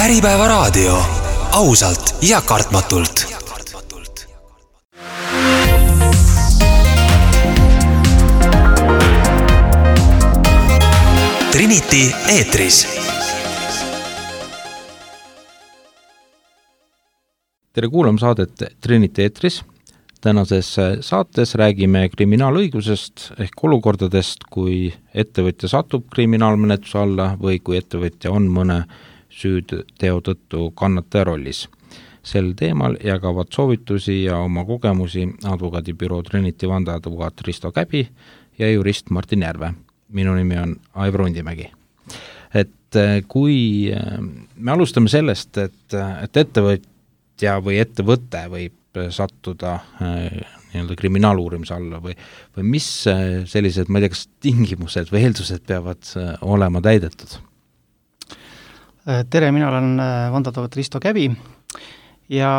Äripäeva raadio. Ausalt ja kartmatult. Trinity eetris. Tere kuulama saadet Trinity eetris. Tänases saates räägime kriminaalõigusest ehk olukordadest, kui ettevõtja satub kriminaalmenetluse alla või kui ettevõtja on mõne süüteo tõttu kannataja rollis. Sel teemal jagavad soovitusi ja oma kogemusi advokaadibüroo Trinity vandeadvokaat Risto Käbi ja jurist Martin Järve. Minu nimi on Aivar Undimägi. Et kui me alustame sellest, et ettevõtja või ettevõte võib sattuda nii-öelda kriminaaluurimise alla või mis sellised, ma ei tea, kas tingimused või eeldused peavad olema täidetud? Tere, mina olen vandeadvokaat Risto Käbi ja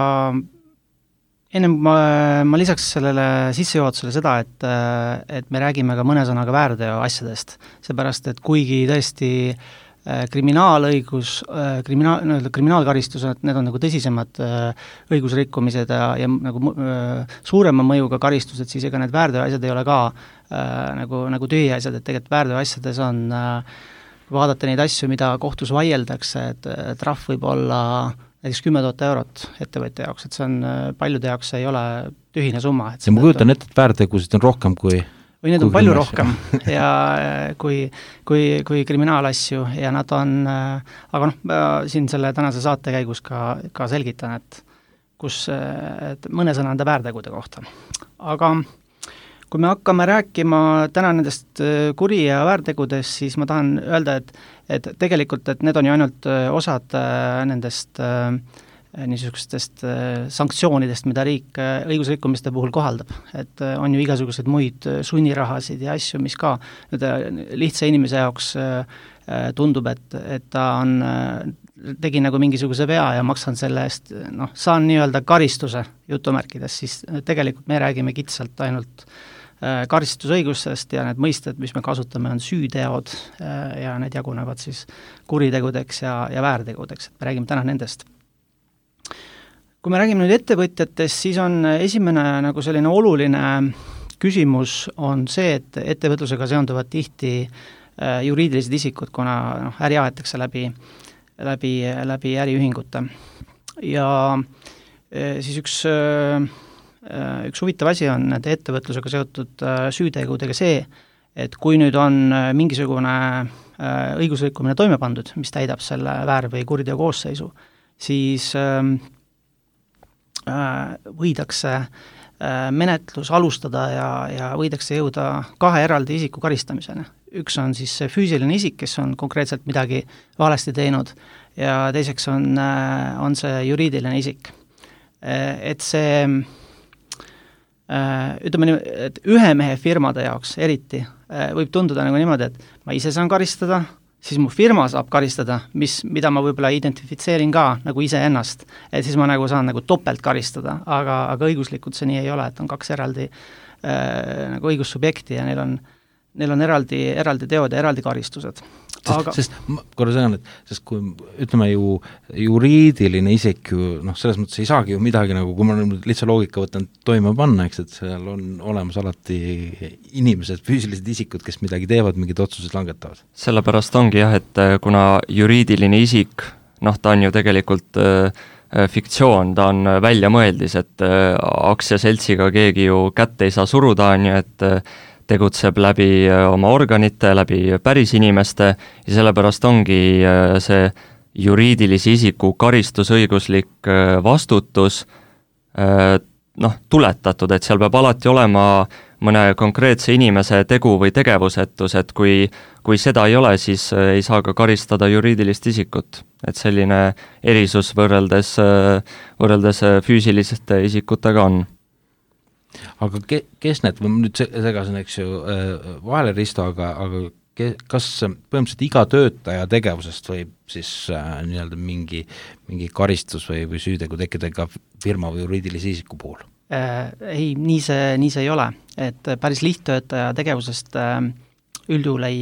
ennem ma lisaks sellele sissejuhatusele seda, et me räägime ka mõne sõnaga väärteo asjadest, seepärast, et kuigi tõesti kriminaalõigus, kriminaalkaristused, need on nagu tõsisemad õigusrikkumised ja nagu suurema mõjuga karistused, siis ega need väärteoasjad ei ole ka nagu tühiasjad, et tegelikult väärteoasjades on, kui vaadata neid asju, mida kohtus vaieldakse, et trahv võib olla näiteks 10 000 eurot ettevõtja jaoks, et see on paljude jaoks ei ole tühine summa. Ja ma kujutan ette, et väärtegusid on rohkem kui need on palju rohkem ja kui kriminaalasju ja nad on, aga siin selle tänase saate käigus ka selgitan, et mõne sõna enda väärtegude kohta. Aga kui me hakkame rääkima täna nendest kuri- ja väärtegudest, siis ma tahan öelda, et tegelikult, et need on ju ainult osad nendest niisugustest sanktsioonidest, mida riik õigusrikkumiste puhul kohaldab. Et on ju igasuguseid muid sunnirahasid ja asju, mis ka lihtsa inimese jaoks tundub, et ta tegi nagu mingisuguse vea ja maksan selle eest, saan nii-öelda karistuse jutumärkides, siis tegelikult me räägime kitsalt ainult karistusõigustest ja need mõisted, mis me kasutame, on süüteod ja need jagunevad siis kuritegudeks ja väärtegudeks, et me räägime täna nendest. Kui me räägime nüüd ettevõtjatest, siis on esimene nagu selline oluline küsimus on see, et ettevõtlusega seonduvad tihti juriidilised isikud, kuna äri aetakse läbi äriühingute. Ja siis üks huvitav asi on nende ettevõtlusega seotud süütegudega see, et kui nüüd on mingisugune õigusrikkumine toime pandud, mis täidab selle väär- või kuriteo koosseisu, siis võidakse menetlus alustada ja võidakse jõuda 2 eraldi isiku karistamisena. Üks on siis füüsiline isik, kes on konkreetselt midagi valesti teinud ja teiseks on see juriidiline isik. Et see, ütleme nii, et ühe mehe firmade jaoks eriti võib tunduda nagu niimoodi, et ma ise saan karistada, siis mu firma saab karistada, mida ma võib-olla identifitseerin ka nagu ise ennast, et siis ma nagu saan nagu topelt karistada, aga õiguslikult see nii ei ole, et on 2 eraldi nagu õigussubjekti ja neil on eraldi teod ja eraldi karistused. Sest korra sõnan, sest kui ütleme ju juriidiline isik ju, selles mõttes ei saagi ju midagi nagu, kui ma lihtsalt loogika võtan toime panna, eks, et seal on olemas alati inimesed, füüsilised isikud, kes midagi teevad, mingid otsused langetavad. Sellepärast ongi jah, et kuna juriidiline isik, ta on ju tegelikult fiktsioon, ta on väljamõeldis, et aktsiaseltsiga keegi ju kätte ei saa suruda, on ju, et tegutseb läbi oma organite, läbi päris inimeste ja sellepärast ongi see juriidilise isiku karistusõiguslik vastutus tuletatud, et seal peab alati olema mõne konkreetse inimese tegu või tegevusetus, et kui seda ei ole, siis ei saa ka karistada juriidilist isikut. Et selline erisus võrreldes füüsiliste isikutega on. Aga kes need, või nüüd segasin, eks ju, vahele Risto, aga kas põhimõtteliselt iga töötaja tegevusest võib siis nii-öelda mingi karistus või süütegu tekkida ka firma või juriidilise isiku puhul? Ei, nii see ei ole, et päris lihttöötaja tegevusest üldjuhul ei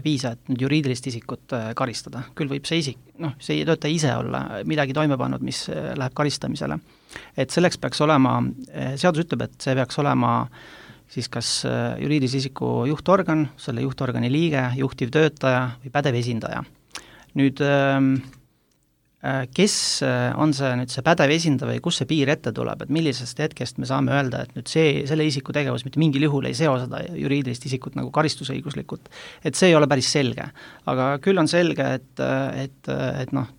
piisa, et nüüd juriidilist isikut karistada. Küll võib see isik, see töötaja ise olla midagi toime pannud, mis läheb karistamisele. Et selleks peaks olema, seadus ütleb, et see peaks olema siis kas juriidilise isiku juhtorgan, selle juhtorgani liige, juhtiv töötaja või pädev esindaja. Nüüd kes on see pädev esindaja või kus see piir ette tuleb, et millisest hetkest me saame öelda, et nüüd selle isiku tegevus mitte mingil juhul ei seo seda juriidilist isikut nagu karistusõiguslikult, et see ei ole päris selge. Aga küll on selge, et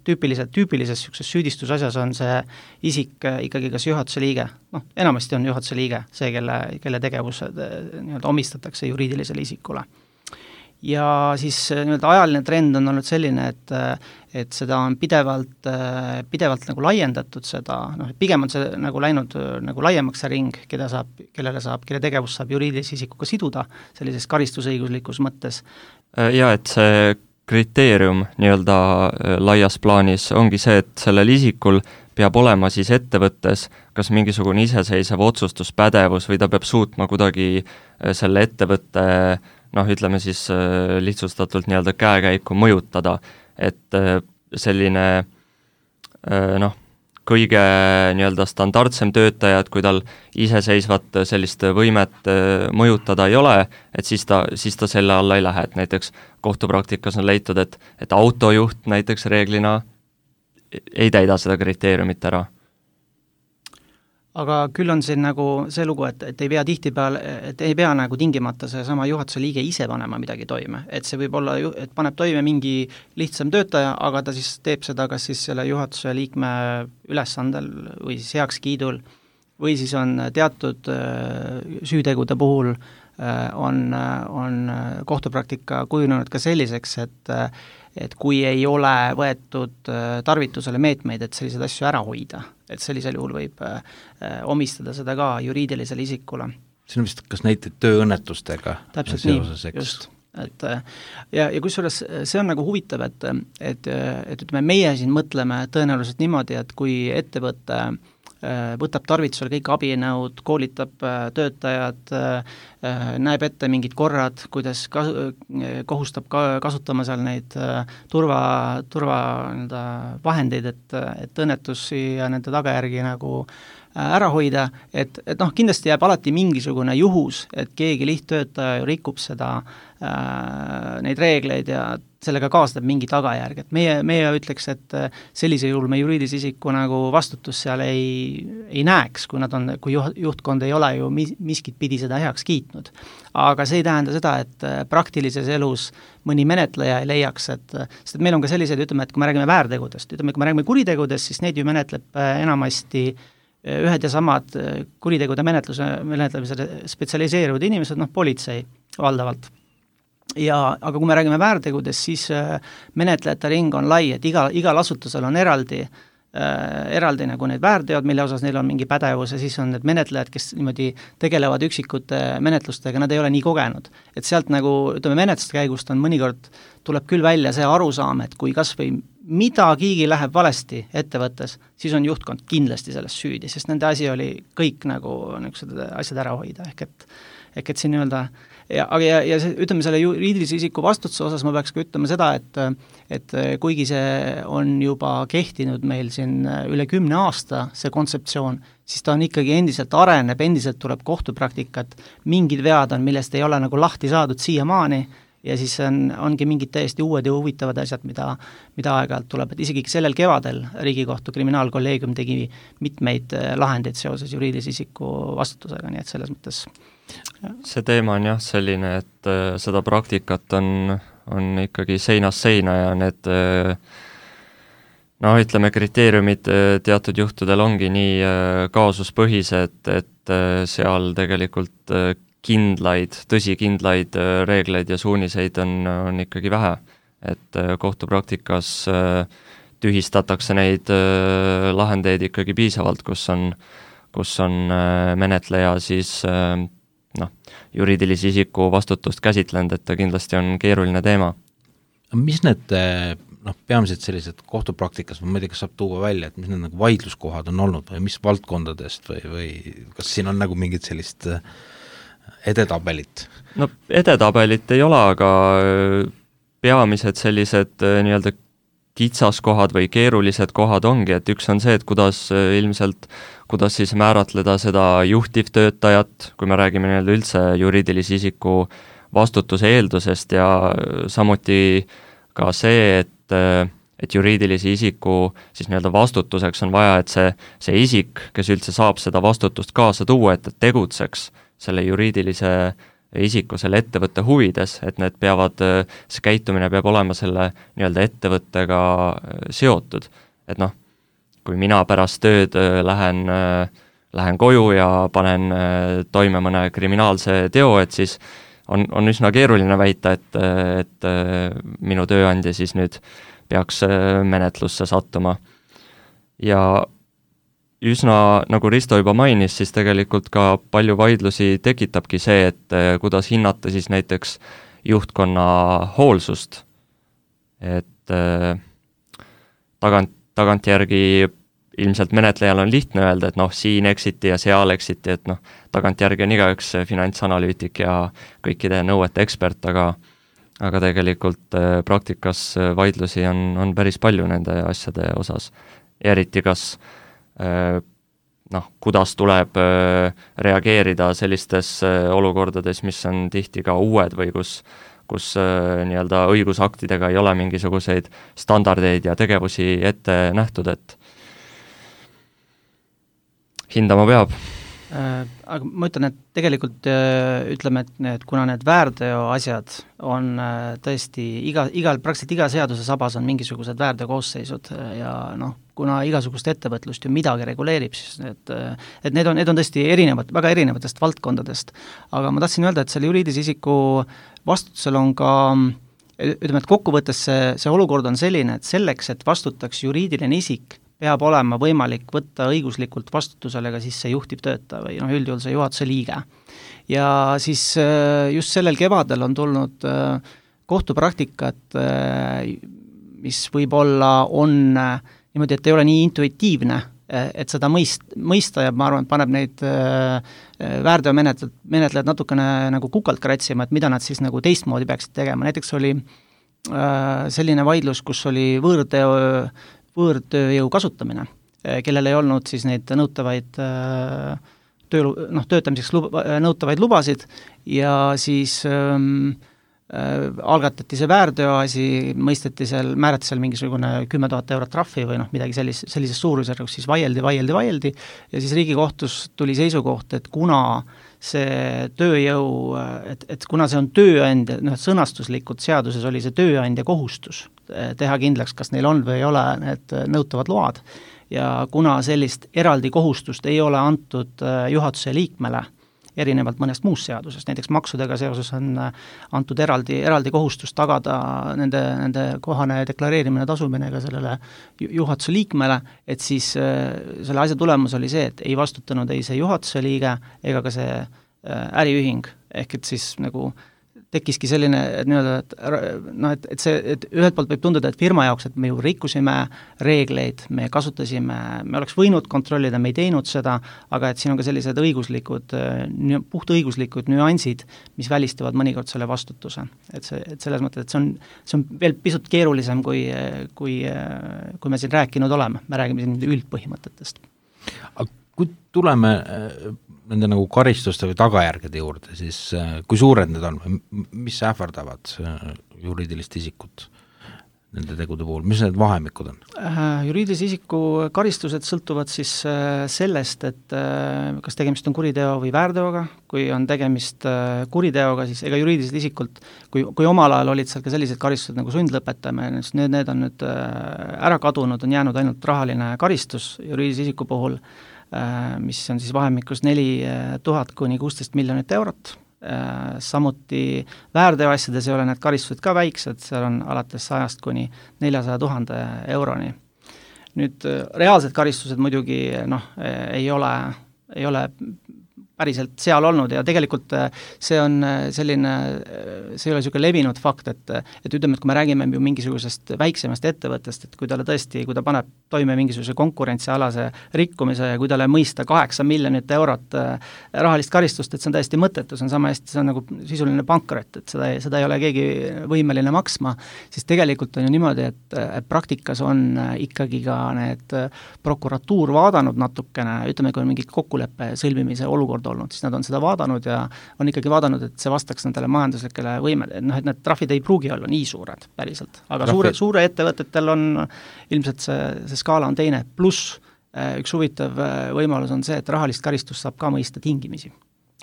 tüüpilises süüdistusasjas on see isik ikkagi kas juhatuse liige, enamasti on juhatuse liige see, kelle tegevus omistatakse juriidilisele isikule. Ja siis ajaline trend on olnud selline, et seda on pidevalt nagu laiendatud seda, pigem on see nagu läinud nagu laiemaks see ring, kelle tegevus saab juriidilise isikuga siduda sellises karistusõiguslikus mõttes. Ja et see kriteerium nii-öelda laias plaanis ongi see, et sellel isikul peab olema siis ettevõttes kas mingisugune iseseisev otsustuspädevus või ta peab suutma kuidagi selle ettevõtte ütleme siis lihtsustatult nii-öelda käekäiku mõjutada, et selline kõige nii-öelda standardsem töötaja, et kui tal iseseisvat sellist võimet mõjutada ei ole, et siis ta selle alla ei lähe, et näiteks kohtupraktikas on leitud, et autojuht näiteks reeglina ei täida seda kriteeriumit ära. Aga küll on siin nagu see lugu, et ei pea tihtipeale, et ei pea nagu tingimata see sama juhatuse liige ise panema midagi toime, et see võib olla, et paneb toime mingi lihtsam töötaja, aga ta siis teeb seda kas siis selle juhatuse liikme ülesandel või siis heakskiidul või siis on teatud süütegude puhul on kohtupraktika kujunenud ka selliseks, et kui ei ole võetud tarvitusele meetmeid, et selliseid asju ära hoida, et sellisel juhul võib omistada seda ka juriidilisele isikule. See on vist kas näiteid tööõnnetustega täpselt seoses, nii, just. Ja kusjuures see on nagu huvitav, et ütleme, meie siin mõtleme tõenäoliselt niimoodi, et kui ettevõte võtab tarvitusele kõik abinõud, koolitab töötajad, näeb ette mingid korrad, kuidas kohustab kasutama seal neid turvavahendeid, et õnnetusi ja nende tagajärgi nagu ära hoida, et kindlasti jääb alati mingisugune juhus, et keegi lihttöötaja ju rikub neid reegleid ja sellega kaasneb mingi tagajärg, et meie ütleks, et sellise juhul me juriidilise isiku nagu vastutus seal ei näeks, kui juhtkond ei ole ju miskit pidi seda heaks kiitnud. Aga see ei tähenda seda, et praktilises elus mõni menetleja ei leiaks, sest meil on ka selliseid, ütleme, et kui me räägime väärtegudest, kui me räägime kuritegudest, siis neid ju menetleb enamasti ühed ja samad kuritegude menetlemisele spetsialiseeruvad inimesed, politsei valdavalt. Aga kui me räägime väärtegudest, siis menetlejate ring on lai, et igal asutusel on eraldi nagu need väärteod, mille osas neil on mingi pädevus ja siis on need menetlejad, kes niimoodi tegelevad üksikute menetlustega, nad ei ole nii kogenud. Et sealt nagu, ütleme, menetluste käigust on mõnikord tuleb küll välja see arusaam, et kui kas või midagigi läheb valesti ettevõttes, siis on juhtkond kindlasti sellest süüdi, sest nende asi oli kõik nagu asjad ära hoida, ehk et siin nii-öelda ja ütleme selle juriidilise isiku vastutuse osas ma peaks ka ütlema seda, et kuigi see on juba kehtinud meil siin üle 10 aasta, see kontseptsioon, siis ta on ikkagi endiselt areneb, endiselt tuleb kohtupraktikat, mingid vead on, millest ei ole nagu lahti saadud siiamaani ja siis ongi mingid täiesti uued ja huvitavad asjad, mida aeg-ajalt tuleb, et isegi sellel kevadel Riigikohtu kriminaalkolleegium tegi mitmeid lahendeid seoses juriidilise isiku vastutusega, nii et selles mõttes see teema on jah selline, et seda praktikat on ikkagi seinast seina ja need ütleme, kriteeriumid teatud juhtudel ongi nii kaasuspõhised, et seal tegelikult tõsikindlaid reegleid ja suuniseid on ikkagi vähe, et kohtupraktikas tühistatakse neid lahendeid ikkagi piisavalt, kus on menetleja siis juriidilise isiku vastutust käsitlenud, et ta kindlasti on keeruline teema. Mis need peamiselt sellised kohtupraktikas, ma ei tea, kas saab tuua välja, et mis need nagu vaidluskohad on olnud või mis valdkondadest või kas siin on nagu mingid sellist edetabelit? No edetabelit ei ole, aga peamised sellised nii-öelda kitsaskohad või keerulised kohad ongi, et üks on see, et kuidas siis määratleda seda juhtivtöötajat, kui me räägime nii-öelda üldse juriidilise isiku vastutuse eeldusest ja samuti ka see, et juriidilise isiku siis nii-öelda vastutuseks on vaja, et see isik, kes üldse saab seda vastutust kaasa tuua, et tegutseks selle juriidilise isiku selle ettevõtte huvides, et need see käitumine peab olema selle nii-öelda ettevõttega seotud. Et noh, kui mina pärast tööd lähen koju ja panen toime mõne kriminaalse teo, et siis on üsna keeruline väita, et minu tööandja siis nüüd peaks menetlusse sattuma. Ja üsna, nagu Risto juba mainis, siis tegelikult ka palju vaidlusi tekitabki see, et kuidas hinnata siis näiteks juhtkonna hoolsust. Et tagantjärgi ilmselt menetlejal on lihtne öelda, et noh, siin eksiti ja seal eksiti, et noh, tagantjärgi on igaüks finantsanalüütik ja kõikide nõuete ekspert, aga tegelikult praktikas vaidlusi on päris palju nende asjade osas. Ja eriti kas kuidas tuleb reageerida sellistes olukordades, mis on tihti ka uued või kus nii-öelda õigusaktidega ei ole mingisuguseid standardeid ja tegevusi ette nähtud, et hindama peab. Aga ma ütlen, et tegelikult ütleme, et kuna need väärteo asjad on tõesti praktiliselt iga seaduse sabas on mingisugused väärteo koosseisud ja noh, kuna igasugust ettevõtlust ju midagi reguleerib, siis et need on tõesti väga erinevatest valdkondadest. Aga ma tahtsin öelda, et selle juriidilise isiku vastutusel on ka, ütleme, et kokkuvõttes see olukord on selline, et selleks, et vastutaks juriidiline isik, peab olema võimalik võtta õiguslikult vastutusele ka siis see juhtivtöötaja või üldjuhul see juhatuse liige. Ja siis just sellel kevadel on tulnud kohtupraktikat, mis võib-olla on niimoodi, et ei ole nii intuitiivne, et seda mõista ja ma arvan, et paneb neid väärteomenetlejad natukene nagu kukalt kratsima, et mida nad siis nagu teistmoodi peaksid tegema. Näiteks oli selline vaidlus, kus oli võõrtööjõu kasutamine, kellel ei olnud siis neid nõutavaid töötamiseks nõutavaid lubasid ja siis algatati see väärteoasi, määrati seal mingisugune 10 000 eurot trahvi või midagi sellises suurusjärgus, siis vaieldi ja siis Riigikohtus tuli seisukoht, et kuna see tööjõu, et kuna see on tööandja, sõnastuslikult seaduses oli see tööandja kohustus teha kindlaks, kas neil on või ei ole need nõutavad load ja kuna sellist eraldi kohustust ei ole antud juhatuse liikmele, erinevalt mõnest muust seadusest, näiteks maksudega seoses on antud eraldi kohustus tagada nende kohane deklareerimine, tasumine ka sellele juhatuse liikmele, et siis selle asja tulemus oli see, et ei vastutanud ei see juhatuse liige ega ka see äriühing, ehk et siis nagu tekkiski selline, et ühelt poolt võib tunduda, et firma jaoks, et me ju rikkusime reegleid, me oleks võinud kontrollida, me ei teinud seda, aga et siin on ka sellised puhtõiguslikud nüansid, mis välistavad mõnikord selle vastutuse. Et selles mõttes, et see on veel pisut keerulisem, kui me siin rääkinud oleme, me räägime siin üldpõhimõtetest. Aga kui tuleme nende nagu karistuste või tagajärgede juurde, siis kui suured need on, mis ähvardavad juriidilist isikut nende tegude puhul, mis need vahemikud on? Juriidilise isiku karistused sõltuvad siis sellest, et kas tegemist on kuriteo või väärteoga, kui on tegemist kuriteoga, siis ega juriidiliselt isikult, kui omal ajal olid seal ka sellised karistused nagu sundlõpetamine, need on nüüd ära kadunud, on jäänud ainult rahaline karistus juriidilise isiku puhul, mis on siis vahemikus 4 000 kuni 16 miljonit eurot. Samuti väärteoasjades ei ole need karistused ka väiksed, seal on alates 100 kuni 400 000 euroni. Nüüd reaalsed karistused muidugi ei ole päriselt seal olnud ja tegelikult see on selline, see ei ole niisugune levinud fakt, et ütleme, et kui me räägime ju mingisugusest väiksemast ettevõttest, et kui talle tõesti, kui ta paneb toime mingisuguse konkurentsialase rikkumise ja kui talle mõista 8 miljonit eurot rahalist karistust, et see on täiesti mõttetu, see on sama hästi, see on nagu sisuline pankrot, et seda ei ole keegi võimeline maksma, siis tegelikult on ju niimoodi, et praktikas on ikkagi ka need prokuratuur vaadanud natukene, ütleme, kui on mingi kokkuleppe sõlmimise olukord olnud, siis nad on seda vaadanud ja on ikkagi vaadanud, et see vastaks nendele majanduslikele võimed, et need trahvid ei pruugi olla nii suured päriselt, aga suure ettevõtetel on ilmselt see skaala on teine, pluss üks huvitav võimalus on see, et rahalist karistust saab ka mõista tingimisi.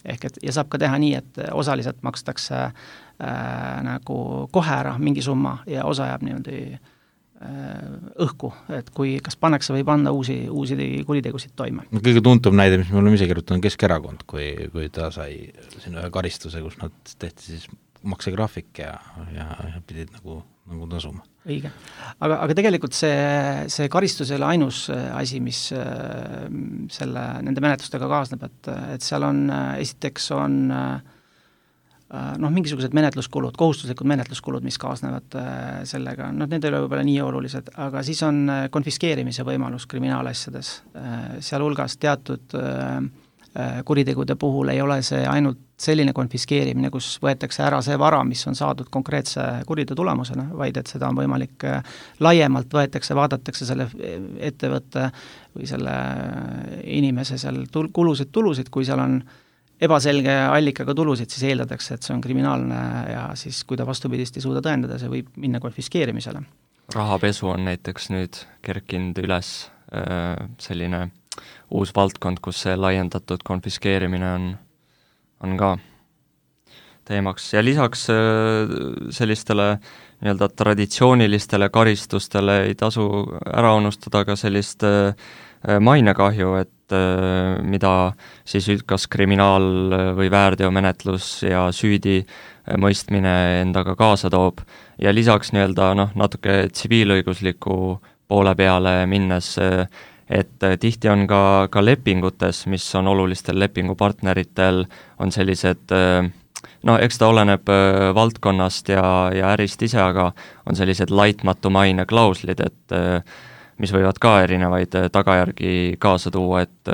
Ehk et ja saab ka teha nii, et osaliselt makstakse nagu kohe ära mingi summa ja osa jääb niimoodi õhku, et kui kas pannakse või panna uusi kuritegusid toime. Kõige tuntum näide, mis me oleme ise kirjutanud, on Keskerakond, kui ta sai siin ühe karistuse, kus nad tehti siis maksegraafik ja pidid nagu tasuma. Õige. Aga tegelikult see karistus ei ole ainus asi, mis nende menetlustega kaasneb, et seal on, esiteks on mingisugused menetluskulud, kohustuslikud menetluskulud, mis kaasnevad sellega, need ei ole võib-olla nii olulised, aga siis on konfiskeerimise võimalus kriminaalasjades. Sealhulgas teatud kuritegude puhul ei ole see ainult selline konfiskeerimine, kus võetakse ära see vara, mis on saadud konkreetse kuriteo tulemusena, vaid et seda on võimalik laiemalt võetakse, vaadatakse selle ettevõtte või selle inimese seal kulusid, kui seal on ebaselge allikaga tulusid, siis eeldatakse, et see on kriminaalne ja siis kui ta vastupidist ei suuda tõendada, see võib minna konfiskeerimisele. Rahapesu on näiteks nüüd kerkinud üles selline uus valdkond, kus see laiendatud konfiskeerimine on ka teemaks ja lisaks sellistele nii-öelda traditsioonilistele karistustele ei tasu ära unustada ka sellist mainekahju, et mida siis kas kriminaal- või väärteomenetlus ja süüdi mõistmine endaga kaasa toob ja lisaks nii-öelda natuke tsiviilõigusliku poole peale minnes, et tihti on ka lepingutes, mis on olulistel lepingupartneritel, on sellised eks ta oleneb valdkonnast ja ärist ise, aga on sellised laitmatu maine klauslid, et mis võivad ka erinevaid tagajärgi kaasa tuua, et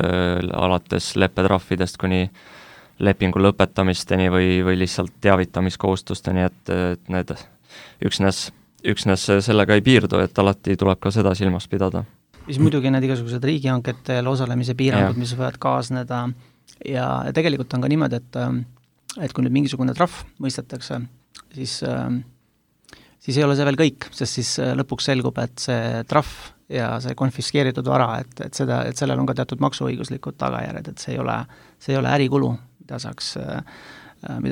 alates leppetrahvidest kuni lepingu lõpetamisteni või lihtsalt teavitamiskohustusteni, et need üksnes sellega ei piirdu, et alati tuleb ka seda silmas pidada. Siis muidugi need igasugused riigihanketel osalemise piirangud, mis võivad kaasneda ja tegelikult on ka niimoodi, et kui nüüd mingisugune trahv mõistetakse, siis ei ole see veel kõik, sest siis lõpuks selgub, et see trahv ja see konfiskeeritud vara, et sellel on ka teatud maksuõiguslikud tagajärjed, et see ei ole ärikulu, mida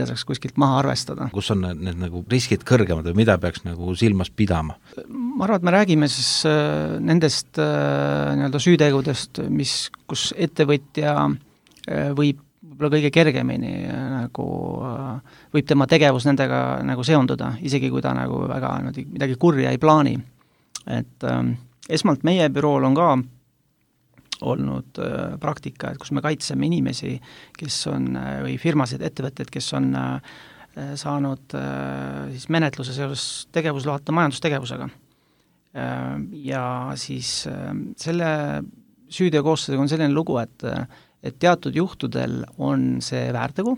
saaks kuskilt maha arvestada. Kus on need nagu riskid kõrgemad või mida peaks nagu silmas pidama? Ma arvan, et me räägime siis nendest nii-öelda süütegudest, kus ettevõtja võib võib-olla kõige kergemini võib tema tegevus nendega nagu seonduda, isegi kui ta nagu väga midagi kurja ei plaani. Et esmalt meie bürool on ka olnud praktika, et kus me kaitseme inimesi, kes on, või firmasid, ettevõtted, kes on saanud siis menetluse seoses tegevusloata majandustegevusega. Ja siis selle süüteokooslusega on selline lugu, et teatud juhtudel on see väärtegu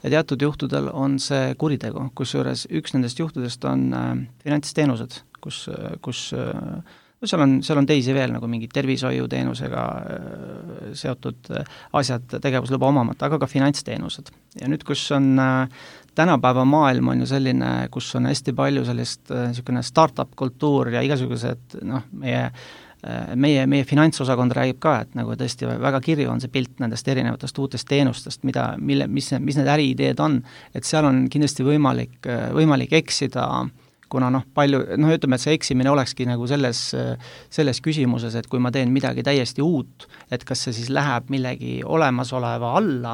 ja teatud juhtudel on see kuritegu, kusjuures üks nendest juhtudest on finantsteenused, kus seal on teisi veel nagu mingi tervishoiuteenusega seotud asjad, tegevusluba omamata, aga ka finantsteenused. Ja nüüd, kus on tänapäeva maailm on ju selline, kus on hästi palju sellist niisugune startup kultuur ja igasugused meie finantsosakond räägib ka, et nagu tõesti väga kirju on see pilt nendest erinevatest uutest teenustest, mis need äriideed on, et seal on kindlasti võimalik eksida, kuna ütleme, et see eksimine olekski nagu selles küsimuses, et kui ma teen midagi täiesti uut, et kas see siis läheb millegi olemasoleva alla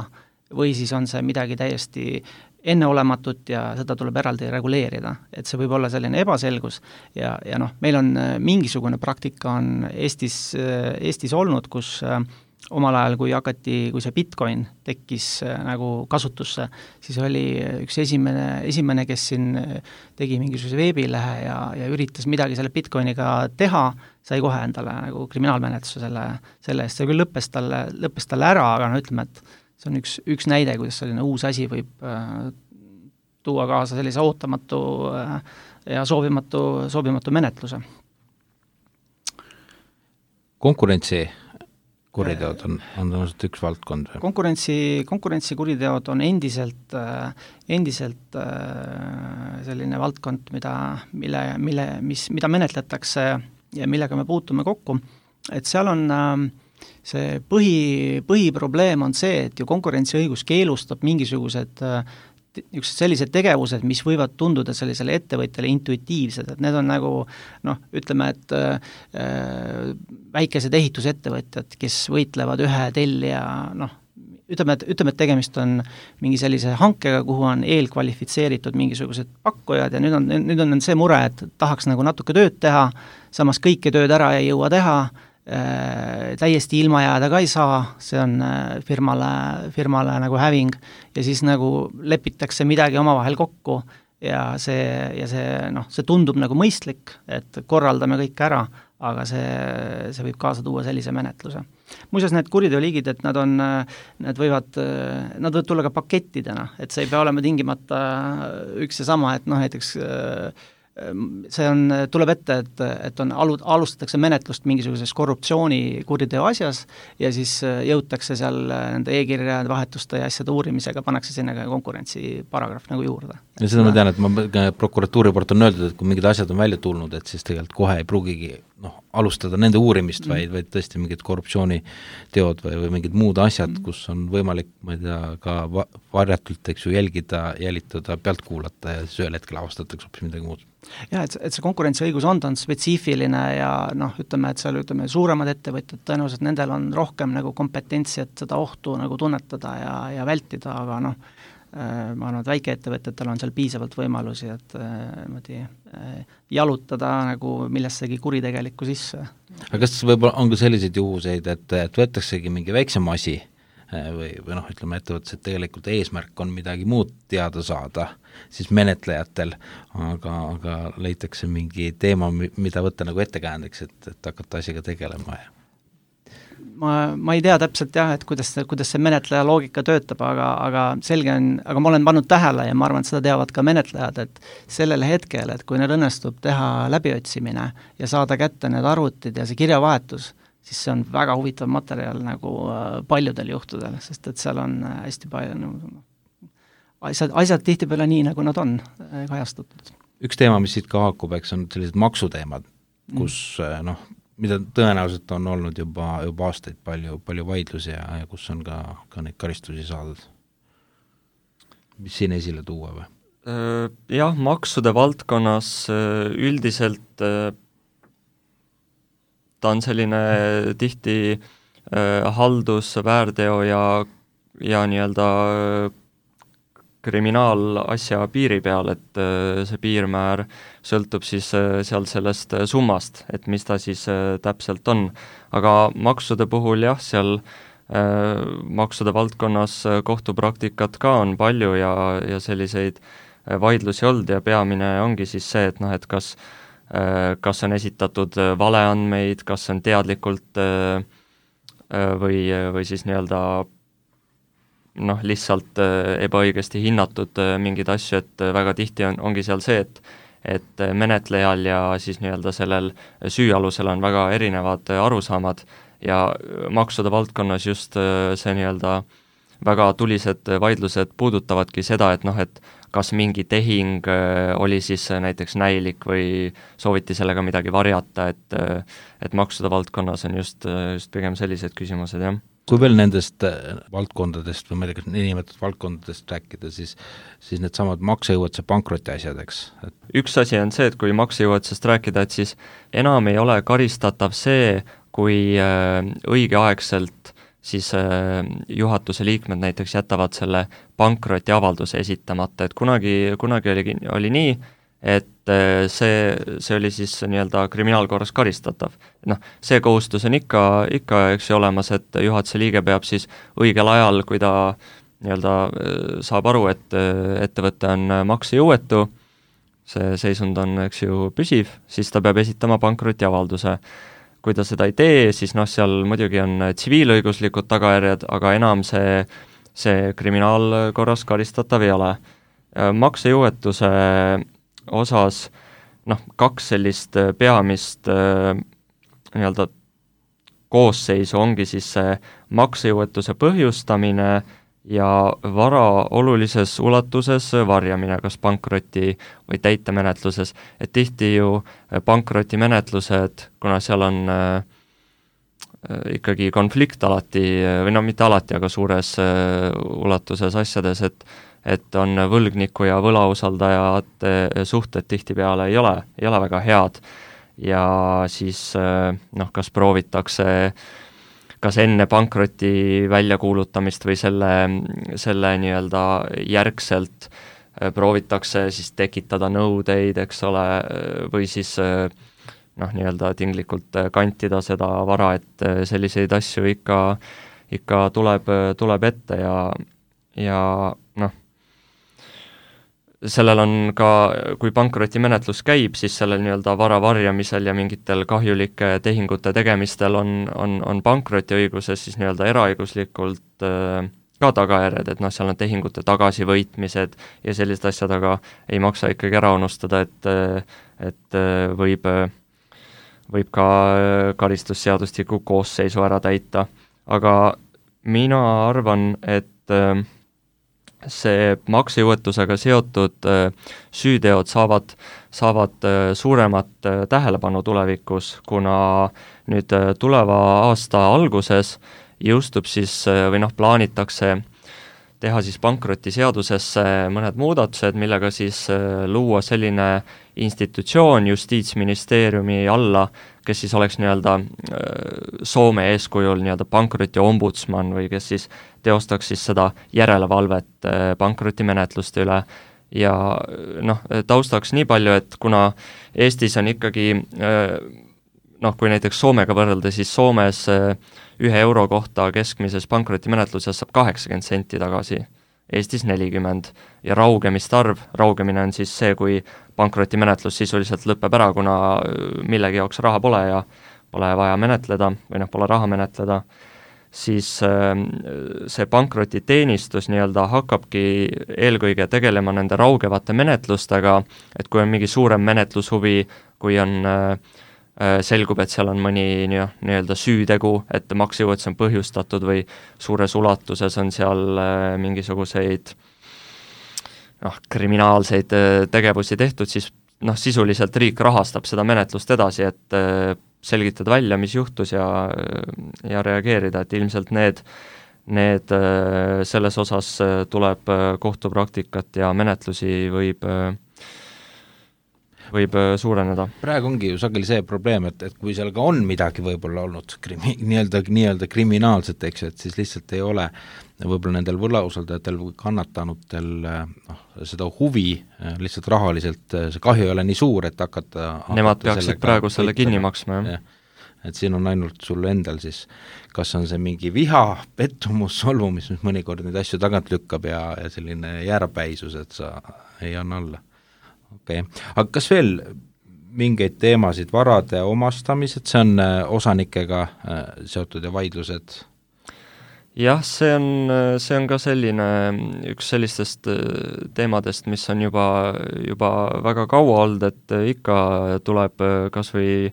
või siis on see midagi täiesti enneolematut ja seda tuleb eraldi reguleerida, et see võib olla selline ebaselgus ja meil on mingisugune praktika on Eestis olnud, kus omal ajal, kui see Bitcoin tekkis nagu kasutusse, siis oli üks esimene, kes siin tegi mingisuguse veebilehe ja üritas midagi selle Bitcoiniga teha, sai kohe endale nagu kriminaalmenetluse selle eest, see küll lõppes talle ära, aga ütleme, et see on üks näide, kuidas selline uus asi võib tuua kaasa sellise ootamatu ja soovimatu menetluse. Konkurentsi kuriteod on üks valdkond või? Konkurentsikuriteod on endiselt selline valdkond, mida menetletakse ja millega me puutume kokku, et seal on see põhiprobleem on see, et ju konkurentsiõigus keelustab mingisugused sellised tegevused, mis võivad tunduda sellisele ettevõtjale intuitiivsed, et need on nagu ütleme, et väikesed ehitusettevõtjad, kes võitlevad ühe tellija, ütleme, et tegemist on mingi sellise hankega, kuhu on eelkvalifitseeritud mingisugused pakkujad ja nüüd on see mure, et tahaks nagu natuke tööd teha, samas kõike tööd ära ei jõua teha, täiesti ilma jääda ka ei saa, see on firmale nagu häving ja siis nagu lepitakse midagi omavahel kokku ja see tundub nagu mõistlik, et korraldame kõik ära, aga see võib kaasa tuua sellise menetluse. Muuseas, need kuriteoliigid, et nad võivad tulla ka pakettidena, et see ei pea olema tingimata üks ja sama, et näiteks tuleb ette, et alustatakse menetlust mingisuguses korruptsioonikuriteo asjas ja siis jõutakse seal nende e-kirjade vahetuste ja asjade uurimisega, pannakse sinna ka konkurentsiparagrahv nagu juurde. Ja seda ma tean, et prokuratuuri poolt on öeldud, et kui mingid asjad on välja tulnud, et siis tegelikult kohe ei pruugigi alustada nende uurimist, vaid tõesti mingid korruptsiooniteod või mingid muud asjad, kus on võimalik, ma ei tea, ka varjatult, jälitada, pealt kuulata ja siis ühel hetkel avastatakse hoopis midagi muud. Jah, et see konkurentsiõigus on spetsiifiline ja ütleme, et seal suuremad ettevõtjad tõenäoliselt nendel on rohkem nagu kompetentsi, et seda ohtu nagu tunnetada ja vältida, aga ma arvan, et väikeettevõtjatel on seal piisavalt võimalusi, et jalutada nagu millessegi kuritegelikku sisse. Aga kas võib-olla on ka selliseid juhuseid, et võetaksegi mingi väiksem asi või ütleme ettevõttes, et tegelikult eesmärk on midagi muud teada saada siis menetlejatel, aga leitakse mingi teema, mida võtta nagu ettekäändeks, et hakata asjaga tegelema ja ma ei tea täpselt jah, et kuidas see menetleja loogika töötab, aga selge on, aga ma olen pannud tähele ja ma arvan, et seda teavad ka menetlejad, et sellel hetkel, et kui neil õnnestub teha läbiotsimine ja saada kätte need arvutid ja see kirjavahetus, siis see on väga huvitav materjal nagu paljudel juhtudel, sest et seal on hästi palju asjad tihtipeale nii, nagu nad on kajastatud. Üks teema, mis siit ka haakub, eks on sellised maksuteemad, kus mida tõenäoliselt on olnud juba aastaid palju vaidlusi ja kus on ka neid karistusi saadud. Mis siin esile tuua või? Jah, maksude valdkonnas üldiselt ta on selline tihti haldus, väärteo ja nii-öelda kriminaalasja piiri peal, et see piirmäär sõltub siis seal sellest summast, et mis ta siis täpselt on. Aga maksude puhul jah, seal maksude valdkonnas kohtupraktikat ka on palju ja selliseid vaidlusi olnud ja peamine ongi siis see, et et kas on esitatud valeandmeid, kas on teadlikult või siis nii-öelda lihtsalt ebaõigesti hinnatud mingeid asju, et väga tihti ongi seal see, et menetlejal ja siis nii-öelda sellel süüalusel on väga erinevad arusaamad ja maksude valdkonnas just see nii-öelda väga tulised vaidlused puudutavadki seda, et kas mingi tehing oli siis näiteks näilik või sooviti sellega midagi varjata, et maksude valdkonnas on just pigem sellised küsimused, jah. Kui veel nendest valdkondadest või ma ei tea, kas nimetatud valdkondadest rääkida, siis need samad maksejõuetuse pankroti asjad, eks? Üks asi on see, et kui maksejõuetusest rääkida, et siis enam ei ole karistatav see, kui õigeaegselt siis juhatuse liikmed näiteks jätavad selle pankrotiavalduse esitamata, et kunagi oli nii, et see oli siis nii-öelda kriminaalkorras karistatav. See kohustus on ikka eks ju olemas, et juhatuse liige peab siis õigel ajal, kui ta nii-öelda saab aru, et ettevõte on maksejõuetu, see seisund on, eks ju, püsiv, siis ta peab esitama pankrotiavalduse. Kui ta seda ei tee, siis seal muidugi on tsiviilõiguslikud tagajärjed, aga enam see kriminaalkorras karistatav ei ole. Maksejõuetuse osas kaks sellist peamist nii-öelda koosseisu ongi siis see maksejõuetuse põhjustamine ja vara olulises ulatuses varjamine, kas pankroti või täitemenetluses. Et tihti ju pankrotimenetlused, kuna seal on ikkagi konflikt alati, või mitte alati, aga suures ulatuses asjades, et on võlgniku ja võlausaldajate suhted tihtipeale ei ole väga head ja siis kas proovitakse kas enne pankroti väljakuulutamist või selle nii-öelda järgselt proovitakse siis tekitada nõudeid, eks ole, või siis nii-öelda tinglikult kantida seda vara, et selliseid asju ikka tuleb ette ja sellel on ka, kui pankrotimenetlus käib, siis sellel nii-öelda vara varjamisel ja mingitel kahjulike tehingute tegemistel on pankrotiõiguses siis nii-öelda eraõiguslikult ka tagajärjed, et seal on tehingute tagasivõitmised ja sellised asjad, aga ei maksa ikkagi ära unustada, et võib ka karistusseadustiku koosseisu ära täita. Aga mina arvan, et see maksejõuetusega seotud süüteod saavad suuremat tähelepanu tulevikus, kuna nüüd tuleva aasta alguses jõustub siis või plaanitakse teha siis pankrotiseadusesse mõned muudatused, millega siis luua selline institutsioon Justiitsministeeriumi alla, kes siis oleks nii-öelda Soome eeskujul nii-öelda pankroti ombudsman või kes siis teostaks siis seda järelevalvet pankrotimenetluste üle. Ja taustaks nii palju, et kuna Eestis on ikkagi, kui näiteks Soomega võrrelda, siis Soomes 1 euro kohta keskmises pankrotimenetluses saab 80 senti tagasi, Eestis 40 ja raugemine on siis see, kui pankrotimenetlus sisuliselt lõpeb ära, kuna millegi jaoks raha pole ja pole vaja menetleda või pole raha menetleda, siis see pankrotiteenistus nii-öelda hakkabki eelkõige tegelema nende raugevate menetlustega, et kui on mingi suurem menetlushuvi, kui on selgub, et seal on mõni nii-öelda süütegu, et maksejõuetus on põhjustatud või suures ulatuses on seal mingisuguseid kriminaalseid tegevusi tehtud, siis sisuliselt riik rahastab seda menetlust edasi, et selgitada välja, mis juhtus ja reageerida, et ilmselt need selles osas tuleb kohtupraktikat ja menetlusi võib suureneda. Praegu ongi ju sageli see probleem, et kui seal ka on midagi võib-olla olnud nii-öelda kriminaalset, eks, et siis lihtsalt ei ole võib-olla nendel võlausaldajatel või kannatanutel seda huvi lihtsalt rahaliselt, see kahju ei ole nii suur, et hakata nemad peaksid praegu selle kinni maksma, jah. Et siin on ainult sul endal siis, kas on see mingi viha, pettumus, solvumis, mis mõnikord neid asju tagant lükkab ja selline jäärapäisus, et sa ei anna alla. Okay. Aga kas veel mingeid teemasid, varade omastamised, see on osanikega seotud ja vaidlused? Jah, see on ka selline üks sellistest teemadest, mis on juba väga kaua olnud, et ikka tuleb kas või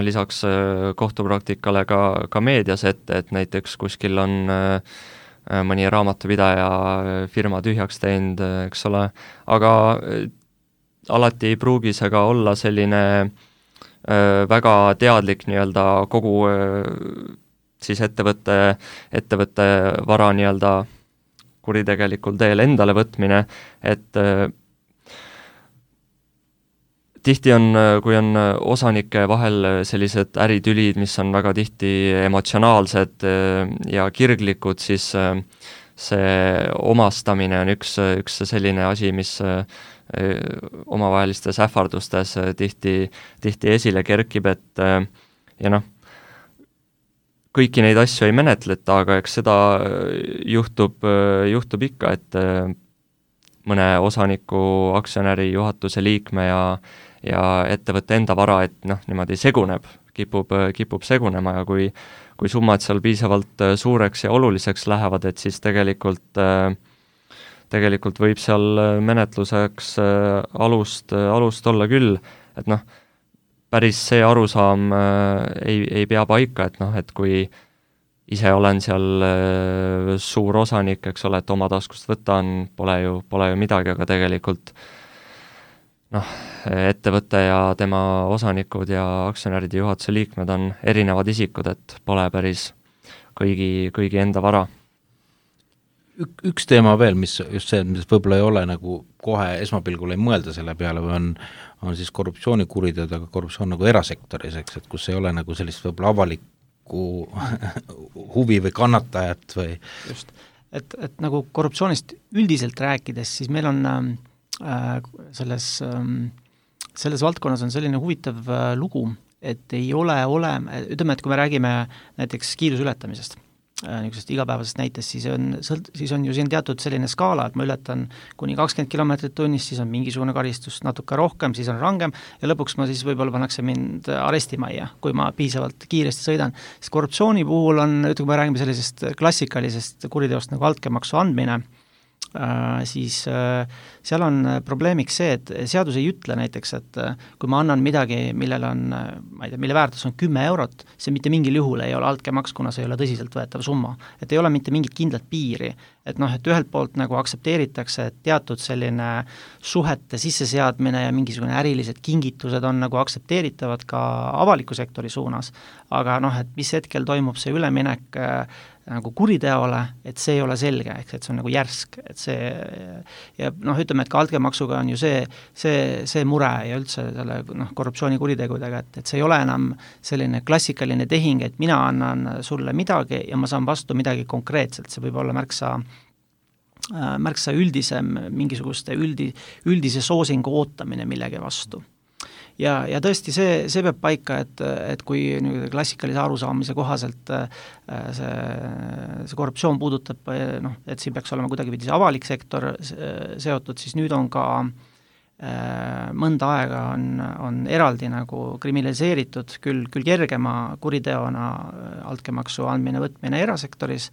lisaks kohtupraktikale ka meedias ette, et näiteks kuskil on mõni raamatupidaja firma tühjaks teinud, eks ole, aga alati ei pruugi see ka olla selline väga teadlik nii-öelda kogu siis ettevõtte vara nii-öelda kuritegelikul teel endale võtmine, et tihti on, kui on osanike vahel sellised äritülid, mis on väga tihti emotsionaalsed ja kirglikud, siis see omastamine on üks selline asi, mis omavahelistes ähvardustes tihti esile kerkib, et ja noh, kõiki neid asju ei menetleta, aga eks seda juhtub ikka, et mõne osaniku, aktsionäri, juhatuse liikme ja ettevõtte enda vara, et noh, niimoodi kipub segunema ja kui summad seal piisavalt suureks ja oluliseks lähevad, et siis tegelikult võib seal menetluseks alust olla küll, et noh, päris see arusaam ei pea paika, et noh, et kui ise olen seal suur osanik, eks ole, et oma taskust võtan, pole ju midagi, aga tegelikult noh, ettevõte ja tema osanikud ja aktsionärid ja juhatuse liikmed on erinevad isikud, et pole päris kõigi enda vara. Üks teema veel, mis just see, mis võib-olla ei ole nagu kohe esmapilgul ei mõelda selle peale, või on siis korruptsioonikuriteod, aga korruptsioon nagu erasektoris, eks, et kus ei ole nagu sellist võib-olla avalikku huvi või kannatajat või just, et nagu korruptsioonist üldiselt rääkides, siis meil on selles valdkonnas on selline huvitav lugu, et ei ole ütleme, et kui me räägime näiteks kiiruse ületamisest, niisugusest igapäevasest näitest, siis on ju siin teatud selline skaala, et ma ületan kuni 20 kilomeetrit tunnis, siis on mingisugune karistus natuke rohkem, siis on rangem ja lõpuks ma siis võib-olla pannakse mind arestimajja, kui ma piisavalt kiiresti sõidan. Siis korruptsiooni puhul on, kui me räägime sellisest klassikalisest kuriteost nagu altkäemaksu andmine, siis seal on probleemiks see, et seadus ei ütle näiteks, et kui ma annan midagi, millel on, ma ei tea, mille väärtus on 10 eurot, see mitte mingil juhul ei ole altkäemaks, kuna see ei ole tõsiseltvõetav summa. Et ei ole mitte mingit kindlat piiri, et noh, et ühelt poolt nagu aksepteeritakse, et teatud selline suhete sisseseadmine ja mingisugune ärilised kingitused on nagu aksepteeritavad ka avaliku sektori suunas, aga noh, et mis hetkel toimub see üleminek nagu kuriteole, et see ei ole selge, ehk et see on nagu järsk, et see ja noh, ütleme, et ka altkäemaksuga on ju see mure ja üldse selle korruptsioonikuritegudega, et see ei ole enam selline klassikaline tehing, et mina annan sulle midagi ja ma saan vastu midagi konkreetselt, see võib olla märksa üldisem mingisuguste üldise soosingu ootamine millegi vastu. Ja tõesti see peab paika, et kui klassikalise arusaamise kohaselt see korruptsioon puudutab, noh, et siin peaks olema kuidagipidi see avalik sektor seotud, siis nüüd on ka mõnda aega on eraldi nagu kriminaliseeritud küll kergema kuriteona altkäemaksu andmine võtmine erasektoris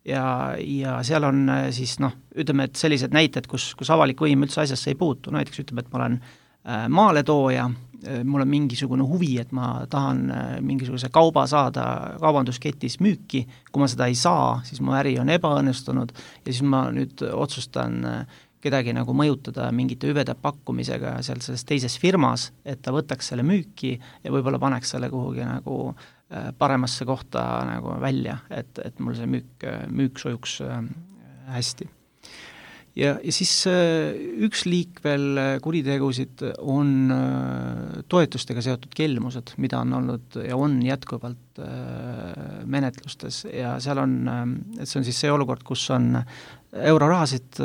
ja seal on siis noh, ütleme, et sellised näited, kus avalik võim üldse asjasse ei puutu, näiteks ütleme, et ma olen maaletooja, mul on mingisugune huvi, et ma tahan mingisuguse kauba saada kaubandusketis müüki, kui ma seda ei saa, siis mu äri on ebaõnnestunud ja siis ma nüüd otsustan kedagi nagu mõjutada mingite hüvede pakkumisega seal selles teises firmas, et ta võtaks selle müüki ja võib-olla paneks selle kuhugi nagu paremasse kohta nagu välja, et mul see müük sujuks hästi. Ja siis üks liik veel kuritegusid on toetustega seotud kelmused, mida on olnud ja on jätkuvalt menetlustes ja seal on, et see on siis see olukord, kus on eurorahasid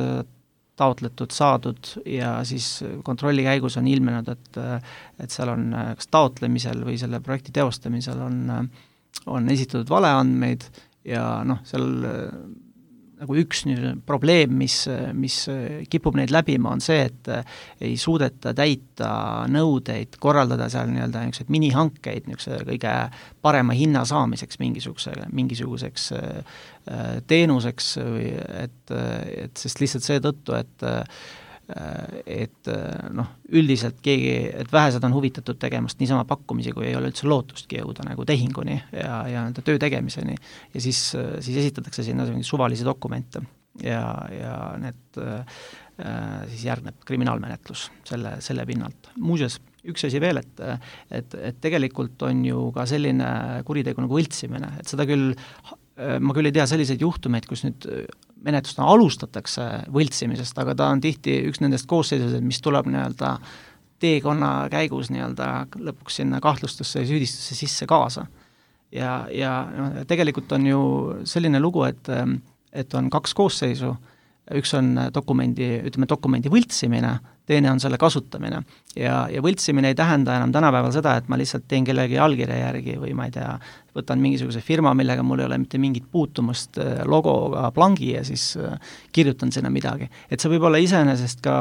taotletud, saadud ja siis kontrolli käigus on ilmenud, et seal on kas taotlemisel või selle projekti teostamisel on esitatud valeandmeid ja noh, seal nagu üks probleem, mis kipub neid läbima, on see, et ei suudeta täita nõudeid, korraldada seal nii-öelda niisugused minihankeid niisuguse kõige parema hinna saamiseks mingisuguseks teenuseks, või et sest lihtsalt seetõttu, et noh, üldiselt et vähesed on huvitatud tegemast niisama pakkumisi, kui ei ole üldse lootustki jõuda nagu tehinguni ja töö tegemiseni ja siis esitatakse sinna suvalisi dokumente ja need siis järgneb kriminaalmenetlus selle pinnalt. Muuseas, üks asi veel, et tegelikult on ju ka selline kuritegu nagu võltsimine, et seda ma küll ei tea selliseid juhtumeid, kus nüüd menetlust alustatakse võltsimisest, aga ta on tihti üks nendest koosseisudest, mis tuleb nii-öelda teekonna käigus nii-öelda lõpuks sinna kahtlustusse ja süüdistusse sisse kaasa. Ja tegelikult on ju selline lugu, et on 2 koosseisu, üks on dokumendi võltsimine, teine on selle kasutamine. Ja võltsimine ei tähenda enam tänapäeval seda, et ma lihtsalt teen kellegi allkirja järgi või ma ei tea, võtan mingisuguse firma, millega mul ei ole mitte mingit puutumust logoga plangi ja siis kirjutan sinna midagi. Et see võib olla iseenesest ka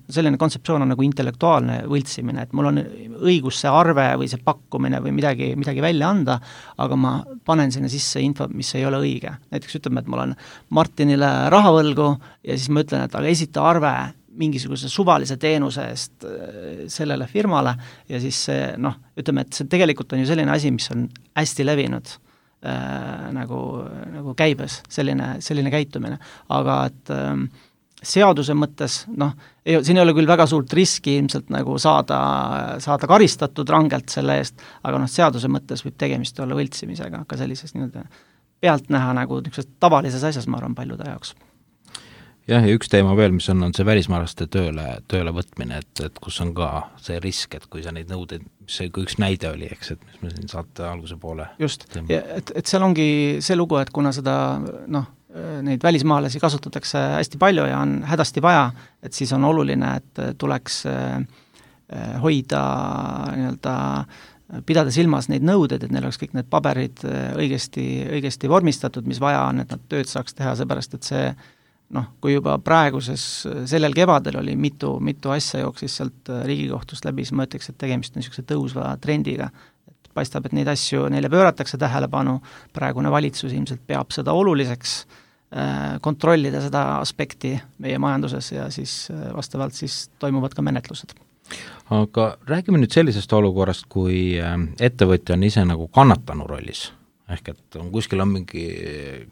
selline kontseptsioon on nagu intellektuaalne võltsimine, et mul on õigus see arve või see pakkumine või midagi välja anda, aga ma panen sinna sisse info, mis ei ole õige. Näiteks ütleme, et mul on Martinile rahavõlgu ja siis ma ütlen, et aga esita arve mingisuguse suvalise teenuse eest sellele firmale ja siis ütleme, et see tegelikult on ju selline asi, mis on hästi levinud nagu käibes, selline käitumine. Aga et seaduse mõttes, siin ei ole küll väga suurt riski ilmselt nagu saada karistatud rangelt selle eest, aga seaduse mõttes võib tegemist olla võltsimisega ka sellises pealtnäha nagu tavalises asjas, ma arvan, paljude jaoks. Jah, ja üks teema veel, mis on see välismaalaste tööle võtmine, et kus on ka see risk, et kui sa neid nõudeid, kui üks näide oli, eks, et mis me siin saate alguse poole. Just, et seal ongi see lugu, et kuna seda, neid välismaalasi kasutatakse hästi palju ja on hädasti vaja, et siis on oluline, et tuleks hoida pidada silmas neid nõudeid, et neil oleks kõik need paberid õigesti vormistatud, mis vaja on, et nad tööd saaks teha, seepärast, et see kui juba sellel kevadel oli mitu asja jooksis sealt Riigikohtust läbi, siis ma ütleks, et tegemist on niisuguse tõusva trendiga. Et paistab, et neid asju, neile pööratakse tähelepanu, praegune valitsus ilmselt peab seda oluliseks, kontrollida seda aspekti meie majanduses ja siis vastavalt siis toimuvad ka menetlused. Aga räägime nüüd sellisest olukorrast, kui ettevõtja on ise nagu kannatanu rollis, ehk et kuskil on mingi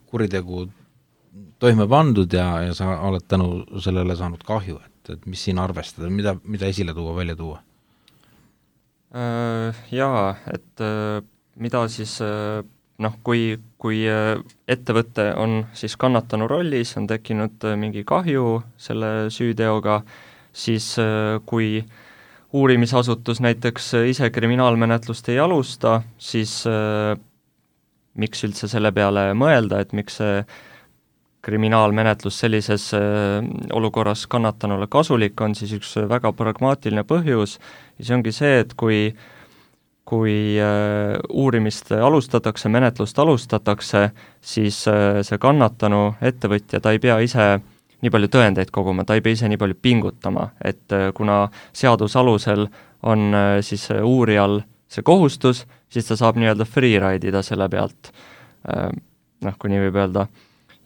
kuritegu toime pandud ja sa oled tänu sellele saanud kahju, et mis siin arvestada, mida esile tuua, välja tuua? Jaa, et mida siis, kui ettevõte on siis kannatanu rollis, on tekkinud mingi kahju selle süüteoga, siis kui uurimisasutus näiteks ise kriminaalmenetlust ei alusta, siis miks üldse selle peale mõelda, et miks see kriminaalmenetlus sellises olukorras kannatanule kasulik on, siis üks väga pragmaatiline põhjus ja see ongi see, et kui uurimist alustatakse, menetlust alustatakse, siis see kannatanu ettevõtja, ta ei pea ise nii palju tõendeid koguma, ta ei pea ise nii palju pingutama, et kuna seaduse alusel on siis uurijal see kohustus, siis ta saab nii-öelda freeride-ida selle pealt, kui nii võib öelda.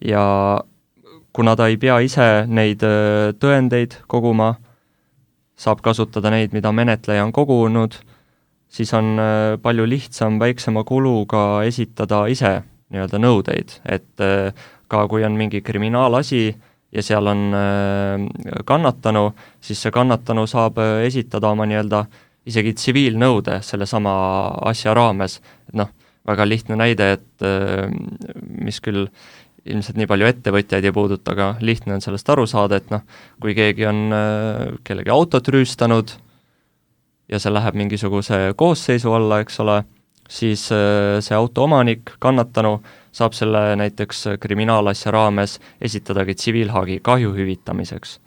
Ja kuna ta ei pea ise neid tõendeid koguma, saab kasutada neid, mida menetleja on kogunud, siis on palju lihtsam väiksema kuluga esitada ise nii-öelda nõudeid, et ka kui on mingi kriminaalasi ja seal on kannatanu, siis see kannatanu saab esitada oma nii-öelda isegi tsiviilnõude selle sama asja raames. Et väga lihtne näide, et mis küll ilmselt nii palju ettevõtjaid ei puuduta, aga lihtne on sellest aru saada, et kui keegi on kellegi autot rüüstanud ja see läheb mingisuguse koosseisu alla, eks ole, siis see auto omanik, kannatanu, saab selle näiteks kriminaalasja raames esitadagi tsiviilhagi kahju hüvitamiseks.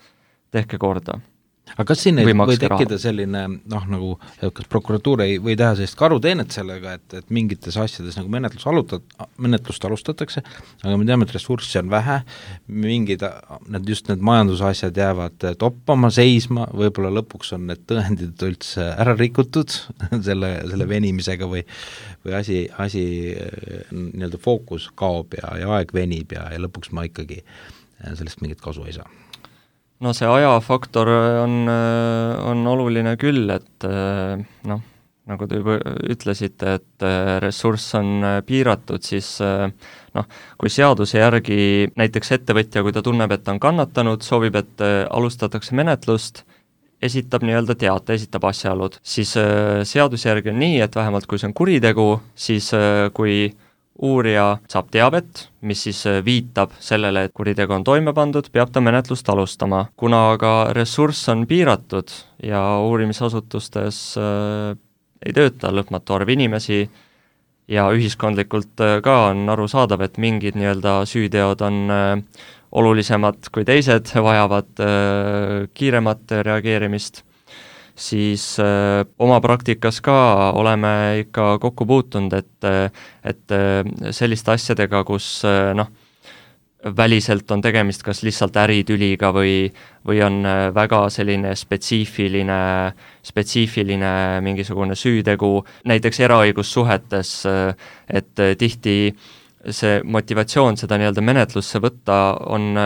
Tehke korda. Aga kas siin või tekkida selline, nagu kas prokuratuur ei või teha sellist karuteenet sellega, et mingites asjades nagu menetlust alustatakse, aga me teame, et ressurssi on vähe, mingid just need majandusasjad jäävad toppama, seisma, võib-olla lõpuks on need tõendid üldse ära rikutud selle venimisega või asi nii-öelda fookus kaob ja aeg venib ja lõpuks ma ikkagi sellest mingit kasu ei saa. No see ajafaktor on oluline küll, et nagu te juba ütlesite, et ressurss on piiratud, siis kui seaduse järgi näiteks ettevõtja, kui ta tunneb, et on kannatanud, soovib, et alustatakse menetlust, esitab nii-öelda teate, esitab asjaolud, siis seaduse järgi on nii, et vähemalt kui see on kuritegu, siis kui uurija saab teavet, mis siis viitab sellele, et kuritegu on toime pandud, peab ta menetlust alustama. Kuna aga ressurss on piiratud ja uurimisasutustes ei tööta lõpmatu arv inimesi ja ühiskondlikult ka on arusaadav, et mingid nii-öelda süüteod on olulisemad kui teised, vajavad kiiremat reageerimist, siis oma praktikas ka oleme ikka kokku puutunud, et selliste asjadega, kus väliselt on tegemist kas lihtsalt äritüliga või on väga selline spetsiifiline mingisugune süütegu, näiteks eraõigussuhetes, et tihti see motivatsioon seda nii-öelda menetlusse võtta on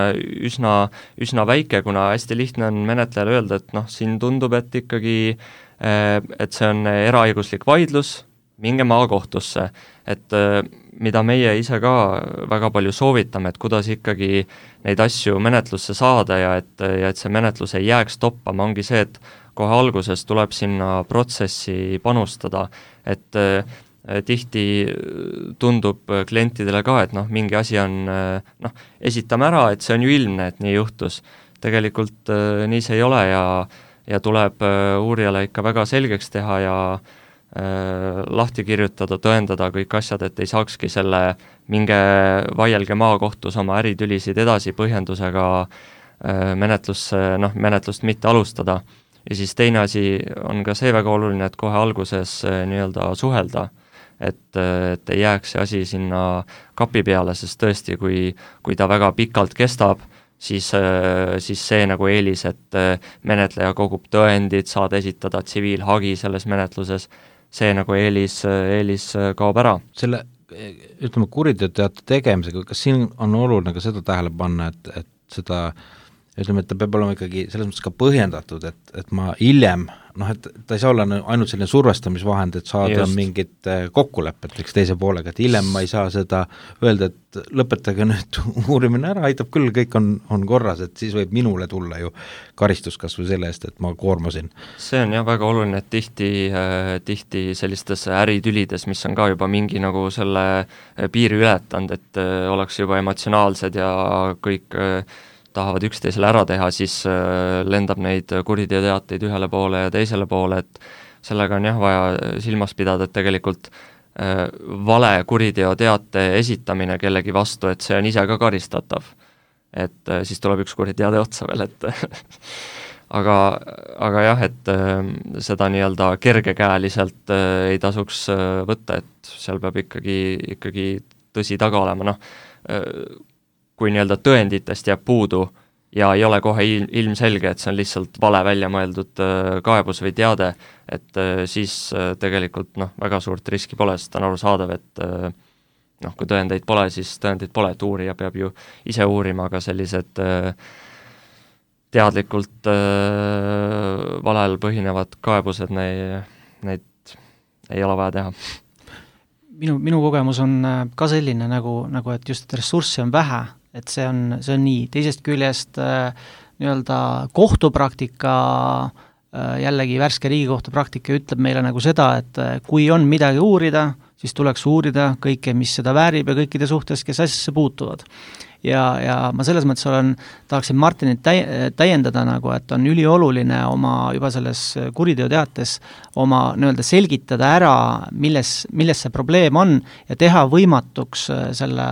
üsna väike, kuna hästi lihtne on menetlejale öelda, et siin tundub, et ikkagi, et see on eraõiguslik vaidlus, minge maakohtusse, et mida meie ise ka väga palju soovitame, et kuidas ikkagi neid asju menetlusse saada ja et see menetlus ei jääks toppama, ongi see, et kohe alguses tuleb sinna protsessi panustada, et tihti tundub klientidele ka, et mingi asi on, esitame ära, et see on ju ilmne, et nii juhtus. Tegelikult nii see ei ole ja tuleb uurijale ikka väga selgeks teha ja lahti kirjutada, tõendada kõik asjad, et ei saakski selle minge vaielge maakohtus oma äritülisid edasi põhjendusega menetlust mitte alustada. Ja siis teine asi on ka see väga oluline, et kohe alguses nii-öelda suhelda, et ei jääks see asi sinna kapi peale, sest tõesti, kui ta väga pikalt kestab, siis see nagu eelis, et menetleja kogub tõendid, saad esitada tsiviilhagi selles menetluses, see nagu eelis kaob ära. Selle, ütleme, kuriteoteate tegemisega, kas siin on oluline ka seda tähele panna, et seda, ütleme, et ta peab olema ikkagi selles mõttes ka põhjendatud, et ma hiljem, et ta ei saa olla ainult selline survestamisvahend, et saada mingit kokkulepet teise poolega, et hiljem ma ei saa seda öelda, et lõpetage nüüd uurimine ära, aitab küll, kõik on korras, et siis võib minule tulla ju karistus kas või selle eest, et ma koormasin. See on jah väga oluline, et tihti sellistes äritülides, mis on ka juba mingi nagu selle piiri ületanud, et oleks juba emotsionaalsed ja kõik tahavad üksteisele ära teha, siis lendab neid kuriteoteateid ühele poole ja teisele poole, et sellega on jah vaja silmas pidada, et tegelikult vale kuriteoteate esitamine kellegi vastu, et see on ise ka karistatav. Et siis tuleb üks kuriteade otsa veel, et aga jah, et seda nii-öelda kergekäeliselt ei tasuks võtta, et seal peab ikkagi tõsi taga olema, kui nii-öelda tõenditest jääb puudu ja ei ole kohe ilmselge, et see on lihtsalt vale välja mõeldud kaebus või teade, et siis tegelikult väga suurt riski pole, sest on arusaadav, et kui tõendeid pole, siis tõendeid pole, et uurija peab ju ise uurima, aga sellised teadlikult valel põhinevad kaebused, neid ei ole vaja teha. Minu kogemus on ka selline nagu et just ressurssi on vähe, et see on nii. Teisest küljest nii-öelda kohtupraktika, jällegi värske Riigikohtu praktika ütleb meile nagu seda, et kui on midagi uurida, siis tuleks uurida kõike, mis seda väärib ja kõikide suhtes, kes asjasse puutuvad. Ja ma selles mõttes tahaksin Martinit täiendada nagu, et on ülioluline oma juba selles kuriteoteates oma nii-öelda selgitada ära, milles see probleem on ja teha võimatuks selle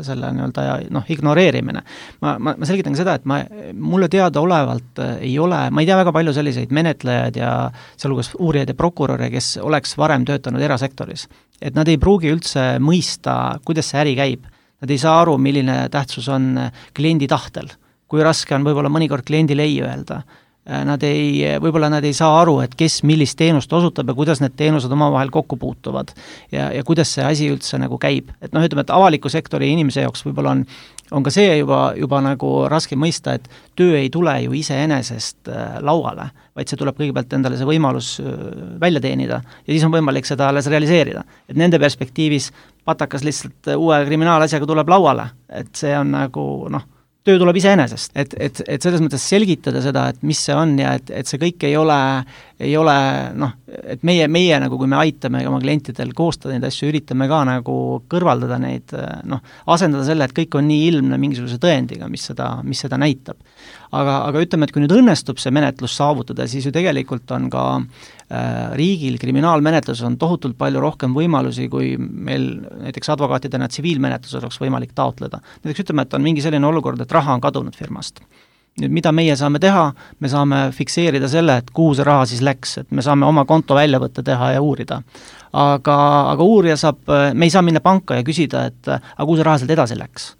nii-öelda ignoreerimine. Ma selgitan ka seda, et mulle teada olevalt ei ole, ma ei tea väga palju selliseid menetlejaid ja sealhulgas uurijaid ja prokuröre, kes oleks varem töötanud erasektoris. Et nad ei pruugi üldse mõista, kuidas see äri käib. Nad ei saa aru, milline tähtsus on kliendi tahtel, kui raske on võib-olla mõnikord kliendile ei öelda. Võib-olla nad ei saa aru, et kes millist teenust osutab ja kuidas need teenused omavahel kokku puutuvad ja kuidas see asi üldse nagu käib. Et ütleme, et avaliku sektori inimese jaoks võib-olla on ka see juba nagu raske mõista, et töö ei tule ju iseenesest lauale, vaid see tuleb kõigepealt endale see võimalus välja teenida ja siis on võimalik seda alles realiseerida. Et nende perspektiivis patakas lihtsalt uue kriminaalasjaga tuleb lauale, et see on nagu töö tuleb iseenesest, et selles mõttes selgitada seda, et mis see on ja et see kõik ei ole ei ole et meie nagu, kui me aitame oma klientidel koostada neid asju, üritame ka nagu kõrvaldada neid, asendada selle, et kõik on nii ilmne mingisuguse tõendiga, mis seda näitab. Aga ütleme, et kui nüüd õnnestub see menetlus saavutada, siis ju tegelikult on ka riigil kriminaalmenetlus on tohutult palju rohkem võimalusi, kui meil näiteks advokaatidena tsiviilmenetlus oleks võimalik taotleda. Näiteks ütleme, et on mingi selline olukord, et raha on kadunud firmast. Nüüd, mida meie saame teha, me saame fikseerida selle, et kuhu see raha siis läks, et me saame oma konto väljavõtte teha ja uurida. Aga uurija me ei saa minna panka ja küsida, et kuhu see raha sealt edasi läks.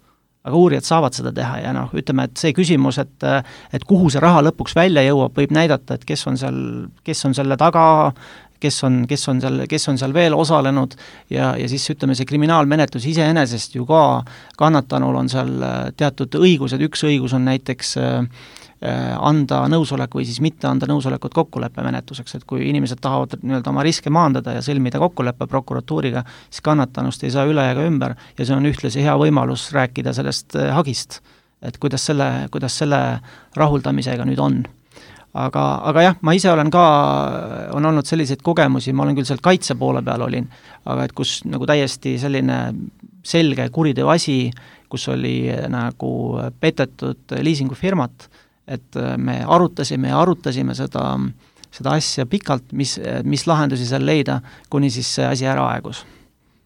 Aga uurijad saavad seda teha ja ütleme, et see küsimus, et kuhu see raha lõpuks välja jõuab, võib näidata, et kes on selle taga, kes on seal veel osalenud ja siis ütleme, see kriminaalmenetlus iseenesest ju ka kannatanul on seal teatud õigused, üks õigus on näiteks anda nõusolek või siis mitte anda nõusolekut kokkuleppemenetluseks, et kui inimesed tahavad oma riske maandada ja sõlmida kokkuleppe prokuratuuriga, siis kannatanust ei saa üle ega ümber ja see on ühtlasi hea võimalus rääkida sellest hagist, et kuidas selle rahuldamisega nüüd on. Aga jah, ma ise on olnud selliseid kogemusi, ma olen küll seal kaitse poole peal olin, aga et kus nagu täiesti selline selge kuriteo asi, kus oli nagu petetud liisingufirmat, et me arutasime seda asja pikalt, mis lahendusi seal leida, kuni siis see asi ära aegus.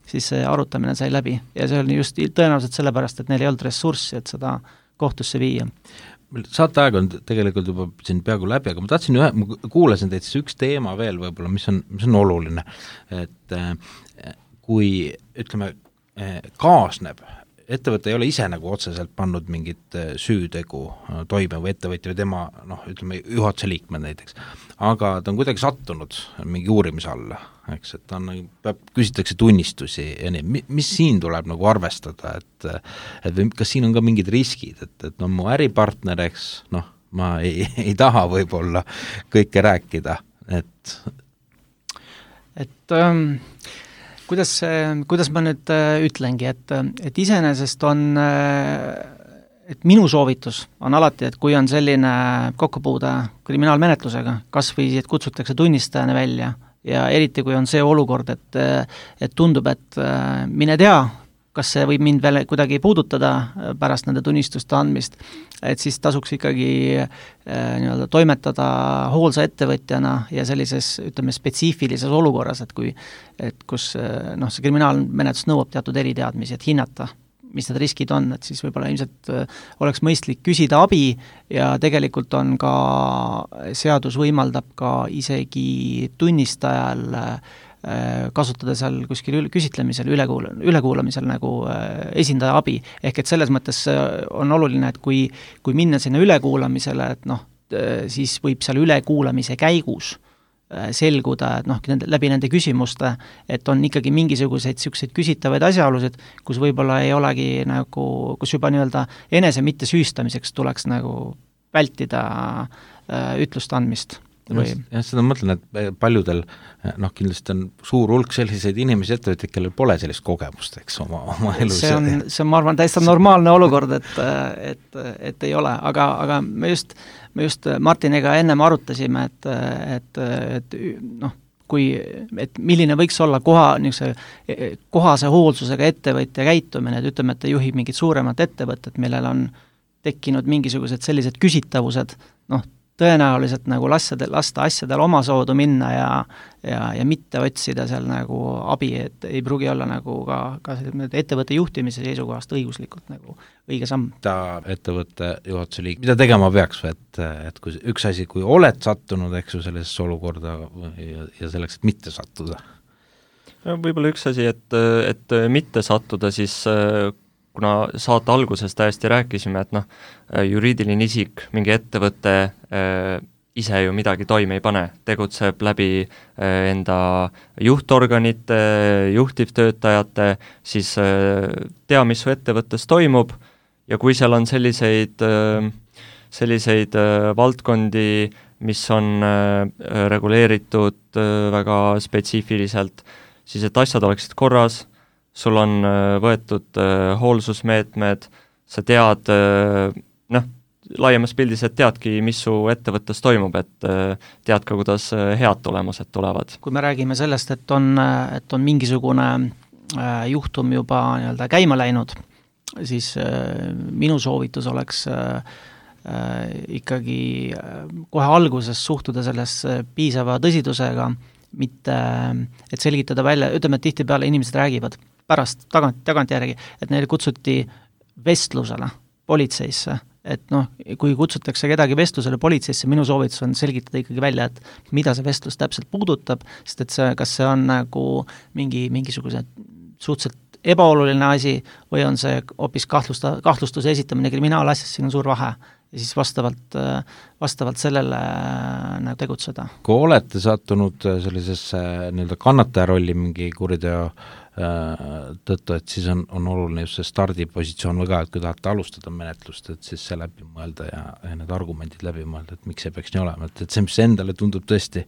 Siis see arutamine sai läbi ja see oli just tõenäoliselt sellepärast, et neil ei olnud ressurssi, et seda kohtusse viia. Saate aeg on tegelikult juba siin peaaegu läbi, aga ma kuulasin teid siis üks teema veel võib-olla, mis on oluline, et kui ütleme, kaasneb, ettevõte ei ole ise nagu otseselt pannud mingit süütegu toime või ettevõtja või tema, ütleme, juhatuse liikmed näiteks, aga ta on kuidagi sattunud mingi uurimise alla, eks, et ta küsitakse tunnistusi ja nii, mis siin tuleb nagu arvestada, et kas siin on ka mingid riskid, et mu äripartner, eks, ma ei taha võib-olla kõike rääkida, et kuidas ma nüüd ütlengi, et iseenesest on, et minu soovitus on alati, et kui on selline kokkupuude kriminaalmenetlusega, kas või et kutsutakse tunnistajana välja ja eriti kui on see olukord, et tundub, et mine tea, kas see võib mind veel kuidagi puudutada pärast nende tunnistuste andmist, et siis tasuks ikkagi toimetada hoolsa ettevõtjana ja sellises, ütleme, spetsiifilises olukorras, kus see kriminaalmenetlus nõuab teatud eriteadmisi, et hinnata, mis need riskid on, et siis võib-olla ilmselt oleks mõistlik küsida abi ja tegelikult on ka, seadus võimaldab ka isegi tunnistajal kasutada seal kuskil küsitlemisel, ülekuulamisel nagu esindaja abi. Ehk et selles mõttes on oluline, et kui minna sinna ülekuulamisele, et siis võib seal ülekuulamise käigus selguda, et läbi nende küsimuste, et on ikkagi mingisuguseid selliseid küsitavaid asjaolusid, kus võib-olla ei olegi nagu, kus juba enese mitte süüstamiseks tuleks nagu vältida ütluste andmist. Jah, seda mõtlen, et paljudel kindlasti on suur hulk selliseid inimesi ettevõtjaid, kellel pole sellist kogemust, eks, oma elus. See on, ma arvan, täiesti normaalne olukord, et ei ole, aga me just Martiniga ennem arutasime, et milline võiks olla kohase hoolsusega ettevõtja käitumine, et ütleme, et ta juhib mingit suuremat ettevõtet, millel on tekkinud mingisugused sellised küsitavused, tõenäoliselt nagu lasta asjadel omasoodu minna ja mitte otsida seal nagu abi, et ei pruugi olla nagu ka ettevõtte juhtimise seisukohast õiguslikult nagu õige samm. Ettevõtte juhatuse liik, mida tegema peaks, et kui üks asi, kui oled sattunud, eks ju, sellisesse olukorda ja selleks, et mitte sattuda? Võib-olla üks asi, et mitte sattuda, siis kuna saate alguses täiesti rääkisime, et juriidiline isik, mingi ettevõte ise ju midagi toime ei pane, tegutseb läbi enda juhtorganite, juhtivtöötajate, siis tea, mis su ettevõttes toimub ja kui seal on selliseid valdkondi, mis on reguleeritud väga spetsiifiliselt, siis et asjad oleksid korras, sul on võetud hoolsusmeetmed, sa tead, laiemas pildis, et teadki, mis su ettevõttes toimub, et tead ka, kuidas head tulemused tulevad. Kui me räägime sellest, et on mingisugune juhtum juba nii-öelda käima läinud, siis minu soovitus oleks ikkagi kohe alguses suhtuda sellesse piisava tõsidusega, mitte et selgitada välja, ütleme, et tihtipeale inimesed räägivad pärast tagantjärgi, et neil kutsuti vestlusele politseisse, et kui kutsutakse kedagi vestlusele politseisse, minu soovitus on selgitada ikkagi välja, et mida see vestlus täpselt puudutab, sest et kas see on nagu mingisuguse suhteliselt ebaoluline asi või on see hoopis kahtlustuse esitamine kriminaalasjas, siin on suur vahe ja siis vastavalt sellele tegutseda. Kui olete sattunud sellisesse nii-öelda kannataja rolli mingi kuriteo tõttu, et siis on oluline just see stardipositsioon või ka, et kui tahate alustada menetlust, et siis see läbi mõelda ja need argumendid läbi mõelda, et miks see peaks nii olema, et see, mis endale tundub tõesti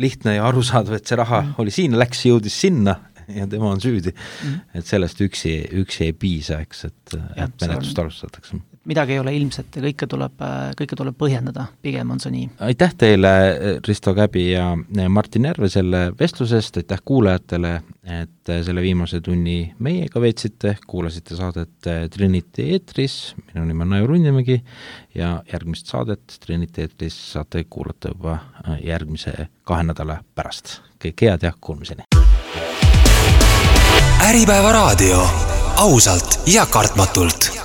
lihtne ja arusaadav, et see raha oli siin, jõudis sinna ja tema on süüdi, et sellest üksi ei piisa, eks, et menetlust alustatakse. Midagi ei ole ilmselt ja kõike tuleb põhjendada, pigem on see nii. Aitäh teile, Risto Käbi ja Martin Järve selle vestlusest, aitäh kuulajatele, et selle viimase tunni meiega veetsite, kuulasite saadet Trinity eetris, minu nimi on Aivar Rundimägi ja järgmist saadet Trinity eetris saate kuulata juba järgmise 2 nädala pärast. Kõik head ja kuulmiseni! Äripäeva raadio, ausalt ja kartmatult.